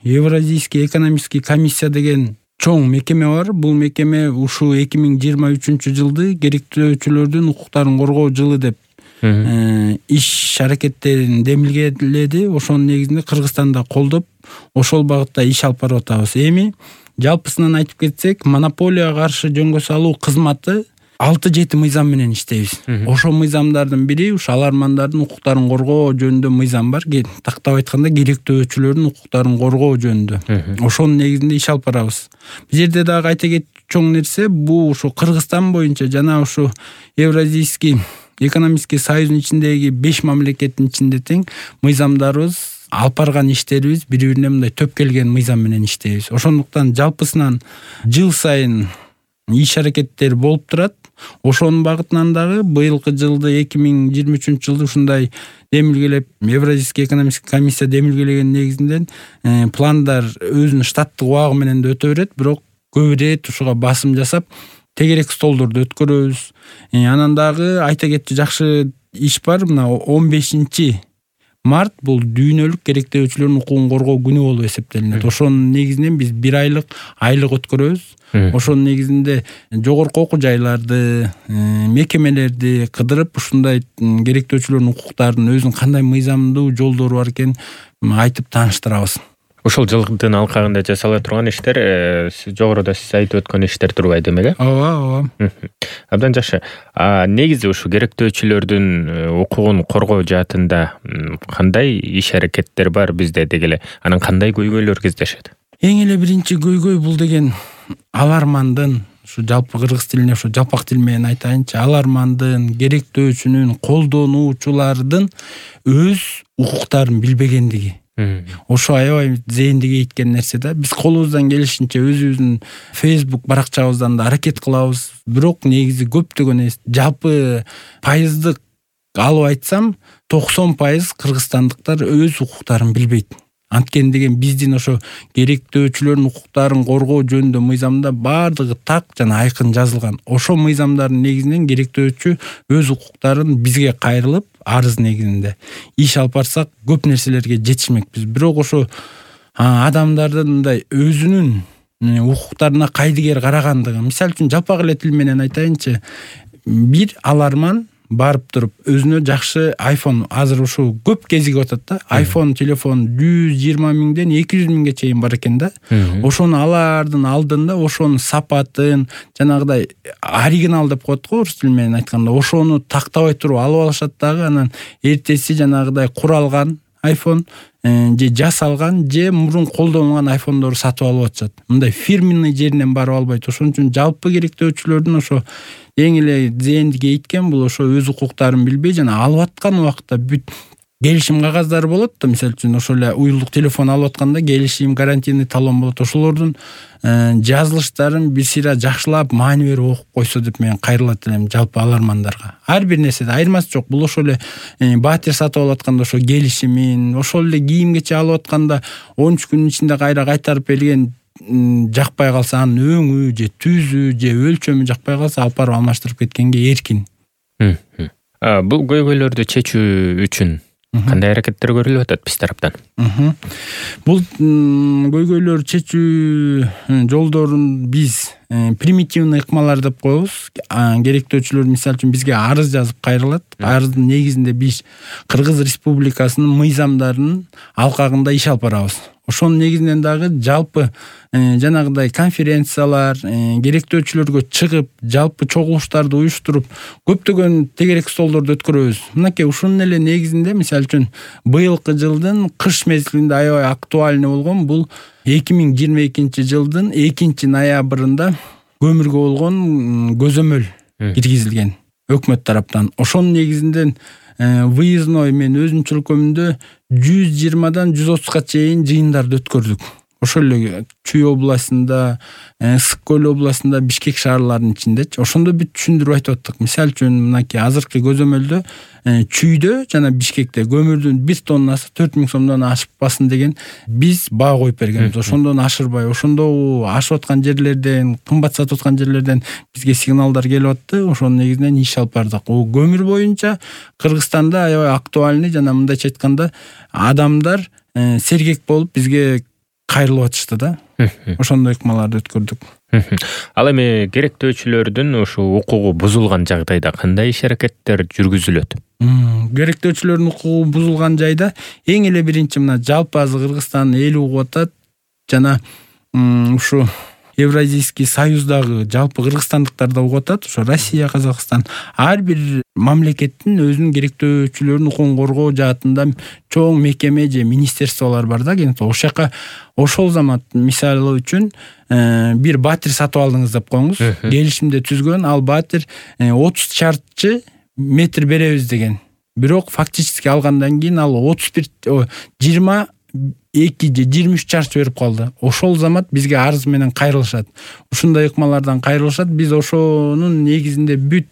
Евразийский экономический комиссия деген чоң мекеме бар. Бул мекеме ушул 2023-жылды керектөөчүлөрдүн укуктарын коргоо жылы деп иш аракеттерин демилгеледи. Ошонун негизинде Кыргызстанда колдоп, ошол багытта иш алып барып атабыз. Эми жалпысынан айтып кетсек, монополияга каршы жөнгө салуу кызматы 6-7 мыйзам менен иштейбиз. Ошол мыйзамдардын бири ушу алармандардын укуктарын коргоо жөнүндө мыйзам бар. Тактап айтканда, керектөөчүлөрдүн укуктарын коргоо жөнүндө. Ошонун негизинде иш алып барабыз. Бул жерде дагы айта кетчү чоң нерсе, бул ушу Кыргызстан боюнча жана ушу Евразийский экономический союздун ичиндеги 5 мамлекеттин ичинде тең мыйзамдарыбыз, алып барган иштерибиз бири-бирине мындай төп келген мыйзам менен иштейбиз. Ошондуктан жалпысынан жыл сайын иш аракеттер болуп турат. Ошонун багытынан дагы быйылкы жылды 2023-жылды ушундай демилгелеп, Евразийский экономический комиссия демилгелеген негизинде пландар өзүнүн штаттык убагы менен да өтө берет, бирок көп ирет ушуга басым жасап тегерек столдорду өткөрөбүз. Анан дагы айта кетчү жакшы иш бар. Мына 15 март бул дүйнөлүк керектөөчүлөрдүн укугун коргоо күнү болуп эсептелинет. Ошонун негизинен биз 1 айлык өткөрөбүз. Ошонун негизинде жогорку окуу жайларды, мекемелерди кыдырып, ушундай керектөөчүлөрдүн укуктарынын өзүнүн кандай мыйзамдуу жолдору бар экенин айтып тааныштырабыз. Ошол жылдын алкагында жасала турган иштер, жогоруда сиз айтып өткөн иштер турбайт демек, э? Ооба. Абдан жакшы. Негизи ушу керектөөчүлөрдүн укугун коргоо жаатында кандай иш аракеттер бар бизде дегеле? Анан кандай көйгөйлөр кездешет? Эң эле биринчи көйгөй бул деген алармандын, ушу жалпы кыргыз тилине ушу жалпак тил менен айтайынчы, алармандын, керектөөчүнүн, колдонуучулардын өз укуктарын билбегендиги. Ошо аябай зээнди кейткен нерсе да. Биз колубуздан келишинче өзүбүздүн Facebook баракчабыздан да аракет кылабыз. Бирок негизи көптөгөн жалпы пайыздык алып айтсам, 90% кыргызстандыктар өз укуктарын билбейт. Анткени деген биздин ошо керектөөчүлөрдүн укуктарын коргоо жөнүндө мыйзамда баардыгы так жана айкын жазылган. Ошо мыйзамдардын негизинен керектөөчү өз укуктарын бизге кайрылып, арыз негизинде иш алып барсак көп нерселерге жетишмекпиз. Бирок ошо адамдардын мындай өзүнүн укуктарына кайдыгер карагандыгы. Мисалы үчүн жалпак эле тил менен айтайынчы, бир аларман барып туруп өзүнө жакшы iPhone, азыр ушу көп кезиге атат да. iPhone телефон 120 миңден 200 миңге чейин бар экен да. Ошону алардын алдында ошонун сапатын, жанагыдай оригинал деп коет го орус тили менен айтканда, ошону тактабай туруп алып алышат дагы. Анан эртеси жанагыдай куралган iPhone же жасалган же мурун колдонулган iPhone'дорду сатып алып атышат. Мындай фирменный жеринен барып албайт. Ошон үчүн жалпы керектөөчүлөрдүн ошо эң эле зээнди кейткен бул ошо өз укуктарын билбей жана алып аткан убакта бүт келишим кагаздары болот да. Мисалы үчүн ошол эле уюлдук телефон алып атканда келишим, гарантийный талон болот. Ошолордун жазылыштарын бир сыйра жакшылап, маани берип окуп койсо деп мен кайрылат элем жалпы алармандарга. Ар бир нерседе айырмасы жок. Бул ошол эле батир сатып алып атканда ошо келишимин, ошол эле кийим-кече алып атканда 13 күнүн ичинде кайтарып берген жакпай калса, анын өңү же түзү же өлчөмү жакпай калса, алып барып алмаштырып кеткенге эркин. Бул көйгөйлөрдү чечүү үчүн кандай аракеттер көрүлүп атат биз тараптан? Бул көйгөйлөр чечүү жолдорун биз примитивный ыкмалар деп коебуз. Керектөөчүлөр мисалы үчүн бизге арыз жазып кайрылат. Арыздын негизинде биз Кыргыз Республикасынын мыйзамдарынын алкагында иш алып барабыз. Ошонун негизинен дагы жалпы жанагыдай конференциялар, керектөөчүлөргө чыгып, жалпы чогулуштарды уюштуруп, көптөгөн тегерек столдорду өткөрөбүз. Мынакей ушунун эле негизинде мисалы үчүн быйылкы жылдын кыш мезгилинде аябай актуальный болгон бул 2022-жылдын 2-ноябрында көмүргө болгон көзөмөл киргизилген өкмөт тараптан. Ошонун негизинде выездной мен өзүнүн чөлкөмүндө 120-дан 130га чейин жыйындарды өткөрдүк. Ошол эле Чүй областында, Ысык көл областында, Бишкек шаарларынын ичиндечи. Ошондо бүт түшүндүрүп айтып аттык. Мисалы үчүн мынакей азыркы көзөмөлдө Чүйдө жана Бишкекте көмүрдүн 1 тоннасы 4000 сомдон ашпасын деген биз баа коюп бергенбиз. Ошондон ашырбай, ошондо ашып аткан жерлерден, кымбат сатып аткан жерлерден бизге сигналдар келип атты. Ошонун негизинен иш алып бардык. Көмүр боюнча Кыргызстанда аябай актуальный, жана мындайча айтканда адамдар сергек болуп бизге кайрылып атышты да. Ошондой ыкмаларды өткөрдүк. Ал эми керектөөчүлөрдүн ушу укугу бузулган жагдайда кандай иш-аракеттер жүргүзүлөт? Керектөөчүлөрдүн укугу бузулган жайда эң эле биринчи мына жалпы азыр Кыргызстан эл угуп атат жана ушу Евразийский союздагы жалпы кыргызстандыктар да угуп атат. Ошо Россия, Казакстан ар бир мамлекеттин өзүнүн керектөөчүлөрүнүн укугун коргоо жаатында чоң мекеме же министерстволор бар да. Ошол жака ошол замат мисалы үчүн бир батир сатып алдыңыз деп коюңуз. Келишимде түзгөн ал батир 30 чарчы метр беребиз деген. Бирок фактически алгандан кийин ал 22 же 23 чарчы берип калды. Ошол замат бизге арыз менен кайрылышат. Ушундай ыкмалардан кайрылышат. Биз ошонун негизинде бүт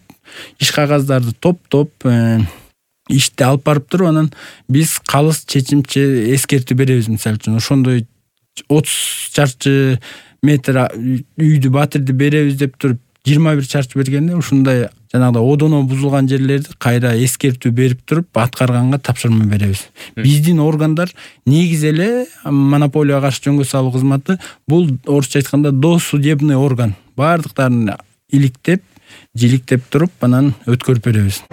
иш кагаздарды топтоп ишти алып барып туруп, анан биз калыс чечимче эскертүү беребиз. Мисалы үчүн ошондой 30 чарчы метр үйдү батирди беребиз деп туруп 21 чарчы бергенде ушундай жанагыдай одоно бузулган жерлерди кайра эскертүү берип туруп аткарганга тапшырма беребиз. Биздин органдар негизи эле монополияга каршы жөнгө салуу кызматы бул орусча айтканда досудебный орган. Бардыктарын иликтеп, жиликтеп туруп анан өткөрүп беребиз.